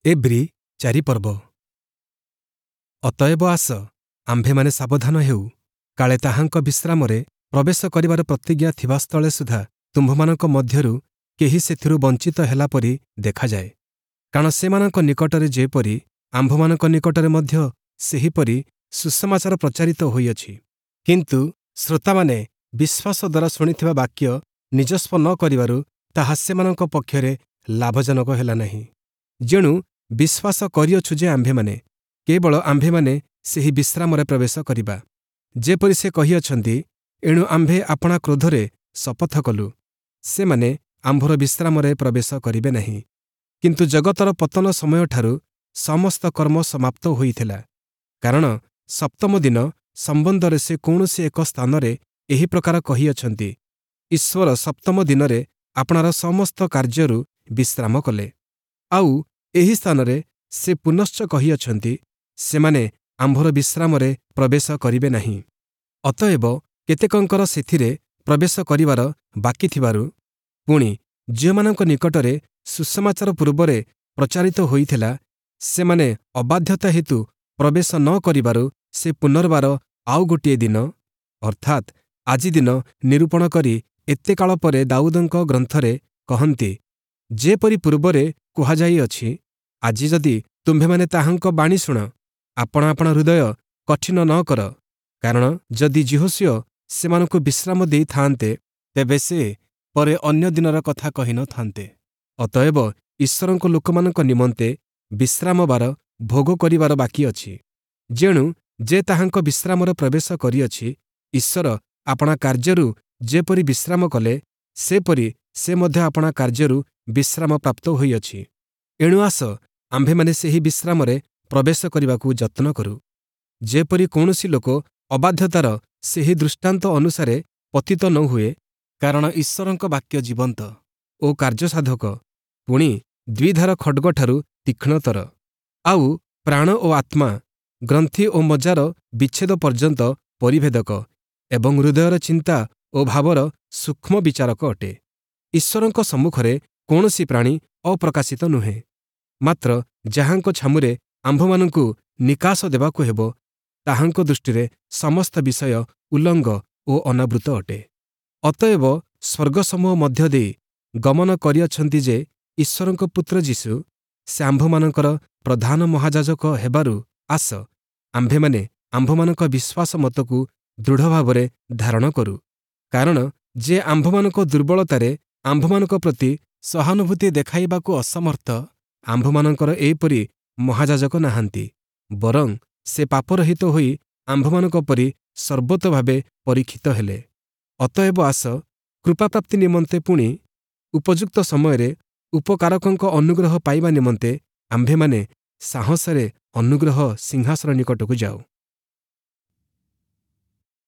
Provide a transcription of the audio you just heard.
ଏବ୍ରୀ 4 ପର୍ବ। ଅତଏବ ଆସ, ଆମ୍ଭେମାନେ ସାବଧାନ ହେଉ, କାଳେ ତାହାଙ୍କ ବିଶ୍ରାମରେ ପ୍ରବେଶ କରିବାର ପ୍ରତିଜ୍ଞା ଥିବା ସ୍ଥଳେ ସୁଦ୍ଧା ତୁମ୍ଭମାନଙ୍କ ମଧ୍ୟରୁ କେହି ସେଥିରୁ ବଞ୍ଚିତ ହେଲା ପରି ଦେଖାଯାଏ। କାରଣ ସେମାନଙ୍କ ନିକଟରେ ଯେପରି, ଆମ୍ଭମାନଙ୍କ ନିକଟରେ ମଧ୍ୟ ସେହିପରି ସୁସମାଚାର ପ୍ରଚାରିତ ହୋଇଅଛି। କିନ୍ତୁ ଶ୍ରୋତାମାନେ ବିଶ୍ୱାସ ଦ୍ୱାରା ଶୁଣିଥିବା ବାକ୍ୟ ନିଜସ୍ୱ ନ କରିବାରୁ ତାହା ସେମାନଙ୍କ ପକ୍ଷରେ ଲାଭଜନକ ହେଲା ନାହିଁ। ଯେଣୁ ବିଶ୍ୱାସ କରିଅଛୁ ଯେ ଆମ୍ଭେମାନେ, କେବଳ ଆମ୍ଭେମାନେ ସେହି ବିଶ୍ରାମରେ ପ୍ରବେଶ କରିବା। ଯେପରି ସେ କହିଅଛନ୍ତି, ଏଣୁ ଆମ୍ଭେ ଆପଣା କ୍ରୋଧରେ ଶପଥ କଲୁ, ସେମାନେ ଆମ୍ଭର ବିଶ୍ରାମରେ ପ୍ରବେଶ କରିବେ ନାହିଁ। କିନ୍ତୁ ଜଗତର ପତନ ସମୟଠାରୁ ସମସ୍ତ କର୍ମ ସମାପ୍ତ ହୋଇଥିଲା। କାରଣ ସପ୍ତମ ଦିନ ସମ୍ବନ୍ଧରେ ସେ କୌଣସି ଏକ ସ୍ଥାନରେ ଏହି ପ୍ରକାର କହିଅଛନ୍ତି, ଈଶ୍ୱର ସପ୍ତମ ଦିନରେ ଆପଣାର ସମସ୍ତ କାର୍ଯ୍ୟରୁ ବିଶ୍ରାମ କଲେ। ଆଉ ଏହି ସ୍ଥାନରେ ସେ ପୁନଶ୍ଚ କହିଅଛନ୍ତି, ସେମାନେ ଆମ୍ଭର ବିଶ୍ରାମରେ ପ୍ରବେଶ କରିବେ ନାହିଁ। ଅତଏବ କେତେକଙ୍କର ସେଥିରେ ପ୍ରବେଶ କରିବାର ବାକି ଥିବାରୁ, ପୁଣି ଯେଉଁମାନଙ୍କ ନିକଟରେ ସୁସମାଚାର ପୂର୍ବରେ ପ୍ରଚାରିତ ହୋଇଥିଲା, ସେମାନେ ଅବାଧ୍ୟତା ହେତୁ ପ୍ରବେଶ ନ କରିବାରୁ ସେ ପୁନର୍ବାର ଆଉ ଗୋଟିଏ ଦିନ, ଅର୍ଥାତ୍ ଆଜି ଦିନ ନିରୂପଣ କରି ଏତେକାଳ ପରେ ଦାଉଦଙ୍କ ଗ୍ରନ୍ଥରେ କହନ୍ତି, ଯେପରି ପୂର୍ବରେ କୁହାଯାଇଅଛି, ଆଜି ଯଦି ତୁମ୍ଭେମାନେ ତାହାଙ୍କ ବାଣୀ ଶୁଣ, ଆପଣା ଆପଣା ହୃଦୟ କଠିନ ନ କର। କାରଣ ଯଦି ଯିହୋଶୂୟ ସେମାନଙ୍କୁ ବିଶ୍ରାମ ଦେଇଥାନ୍ତେ, ତେବେ ସେ ପରେ ଅନ୍ୟ ଦିନର କଥା କହିନଥାନ୍ତେ। ଅତଏବ ଈଶ୍ୱରଙ୍କ ଲୋକମାନଙ୍କ ନିମନ୍ତେ ବିଶ୍ରାମବାର ଭୋଗ କରିବାର ବାକି ଅଛି। ଯେଣୁ ଯେ ତାହାଙ୍କ ବିଶ୍ରାମରେ ପ୍ରବେଶ କରିଅଛି, ଈଶ୍ୱର ଆପଣା କାର୍ଯ୍ୟରୁ ଯେପରି ବିଶ୍ରାମ କଲେ, ସେପରି ସେ ମଧ୍ୟ ଆପଣା କାର୍ଯ୍ୟରୁ ବିଶ୍ରାମ ପ୍ରାପ୍ତ ହୋଇଅଛି। ଏଣୁ ଆସ, ଆମ୍ଭେମାନେ ସେହି ବିଶ୍ରାମରେ ପ୍ରବେଶ କରିବାକୁ ଯତ୍ନ କରୁ, ଯେପରି କୌଣସି ଲୋକ ଅବାଧ୍ୟତାର ସେହି ଦୃଷ୍ଟାନ୍ତ ଅନୁସାରେ ପତିତ ନ ହୁଏ। କାରଣ ଈଶ୍ୱରଙ୍କ ବାକ୍ୟ ଜୀବନ୍ତ ଓ କାର୍ଯ୍ୟସାଧକ, ପୁଣି ଦ୍ୱିଧାର ଖଡ଼୍ଗଠାରୁ ତୀକ୍ଷ୍ଣତର, ଆଉ ପ୍ରାଣ ଓ ଆତ୍ମା, ଗ୍ରନ୍ଥି ଓ ମଜ୍ଜାର ବିଚ୍ଛେଦ ପର୍ଯ୍ୟନ୍ତ ପରିଭେଦକ ଏବଂ ହୃଦୟର ଚିନ୍ତା ଓ ଭାବର ସୂକ୍ଷ୍ମ ବିଚାରକ ଅଟେ। ଈଶ୍ୱରଙ୍କ ସମ୍ମୁଖରେ କୌଣସି ପ୍ରାଣୀ ଅପ୍ରକାଶିତ ନୁହେଁ, ମାତ୍ର ଯାହାଙ୍କ ଛାମୁରେ ଆମ୍ଭମାନଙ୍କୁ ନିକାଶ ଦେବାକୁ ହେବ, ତାହାଙ୍କ ଦୃଷ୍ଟିରେ ସମସ୍ତ ବିଷୟ ଉଲଙ୍ଗ ଓ ଅନାବୃତ ଅଟେ। ଅତଏବ ସ୍ୱର୍ଗସମୂହ ମଧ୍ୟ ଦେଇ ଗମନ କରିଅଛନ୍ତି ଯେ ଈଶ୍ୱରଙ୍କ ପୁତ୍ର ଯୀଶୁ, ସେ ଆମ୍ଭମାନଙ୍କର ପ୍ରଧାନ ମହାଯାଜକ ହେବାରୁ ଆସ, ଆମ୍ଭେମାନେ ଆମ୍ଭମାନଙ୍କ ବିଶ୍ୱାସ ମତକୁ ଦୃଢ଼ ଭାବରେ ଧାରଣ କରୁ। କାରଣ ଯେ ଆମ୍ଭମାନଙ୍କ ଦୁର୍ବଳତାରେ ଆମ୍ଭମାନଙ୍କ ପ୍ରତି ସହାନୁଭୂତି ଦେଖାଇବାକୁ ଅସମର୍ଥ, ଆମ୍ଭମାନଙ୍କର ଏହିପରି ମହାଯାଜକ ନାହାନ୍ତି, ବରଂ ସେ ପାପରହିତ ହୋଇ ଆମ୍ଭମାନଙ୍କ ପରି ସର୍ବତୋଭାବେ ପରୀକ୍ଷିତ ହେଲେ। ଅତଏବ ଆସ, କୃପାପ୍ରାପ୍ତି ନିମନ୍ତେ ପୁଣି ଉପଯୁକ୍ତ ସମୟରେ ଉପକାରକଙ୍କ ଅନୁଗ୍ରହ ପାଇବା ନିମନ୍ତେ ଆମ୍ଭେମାନେ ସାହସରେ ଅନୁଗ୍ରହ ସିଂହାସନ ନିକଟକୁ ଯାଉ।